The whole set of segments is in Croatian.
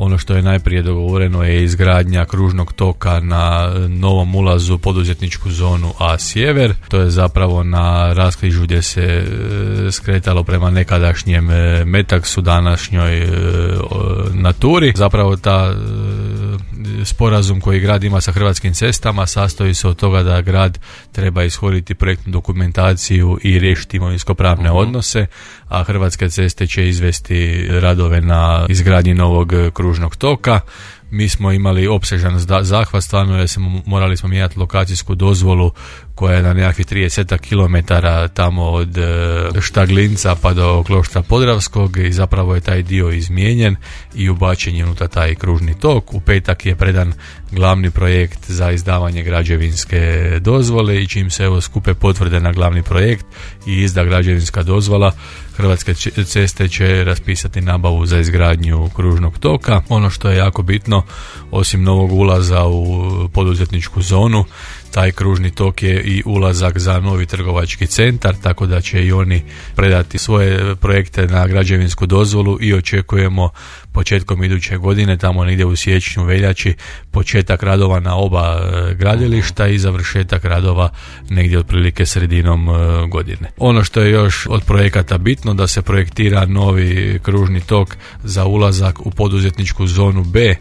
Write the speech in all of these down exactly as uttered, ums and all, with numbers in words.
Ono što je najprije dogovoreno je izgradnja kružnog toka na novom ulazu u poduzetničku zonu A sjever. To je zapravo na raskrižju gdje se skretalo prema nekadašnjem Metaksu, današnjoj Naturi. Zapravo ta sporazum koji grad ima sa Hrvatskim cestama sastoji se od toga da grad treba ishoditi projektnu dokumentaciju i riješiti imovinsko-pravne uh-huh. odnose, a Hrvatske ceste će izvesti radove na izgradnji novog kružnog toka. Mi smo imali opsežan zahvat, stvarno jer smo morali smo mijenjati lokacijsku dozvolu koja je na nekakvih trideset kilometara tamo od Štaglinca pa do Kloštra Podravskog i zapravo je taj dio izmijenjen i ubačen je unutar taj kružni tok. U petak je predan glavni projekt za izdavanje građevinske dozvole i čim se evo skupe potvrde na glavni projekt i izda građevinska dozvola, Hrvatske ceste će raspisati nabavu za izgradnju kružnog toka. Ono što je jako bitno, osim novog ulaza u poduzetničku zonu, taj kružni tok je i ulazak za novi trgovački centar, tako da će i oni predati svoje projekte na građevinsku dozvolu i očekujemo početkom iduće godine, tamo negdje u siječnju, veljači, početak radova na oba gradilišta i završetak radova negdje otprilike sredinom godine. Ono što je još od projekata bitno, da se projektira novi kružni tok za ulazak u poduzetničku zonu B,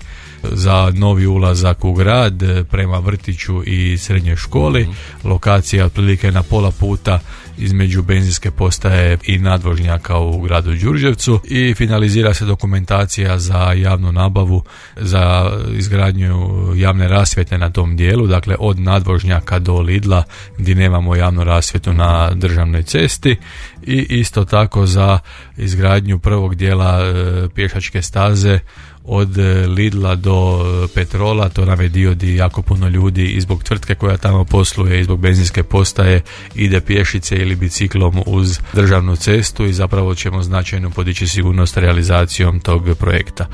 za novi ulazak u grad prema vrtiću i srednjoj školi. Mm-hmm. Lokacija otprilike na pola puta između benzinske postaje i nadvožnjaka u gradu Đurđevcu i finalizira se dokumentacija za javnu nabavu za izgradnju javne rasvjete na tom dijelu, dakle od nadvožnjaka do Lidla gdje nemamo javnu rasvjetu na državnoj cesti, i isto tako za izgradnju prvog dijela e, pješačke staze od Lidla do Petrola. To nam je dio gdje jako puno ljudi i zbog tvrtke koja tamo posluje i zbog benzinske postaje ide pješice ili biciklom uz državnu cestu i zapravo ćemo značajno podići sigurnost realizacijom tog projekta.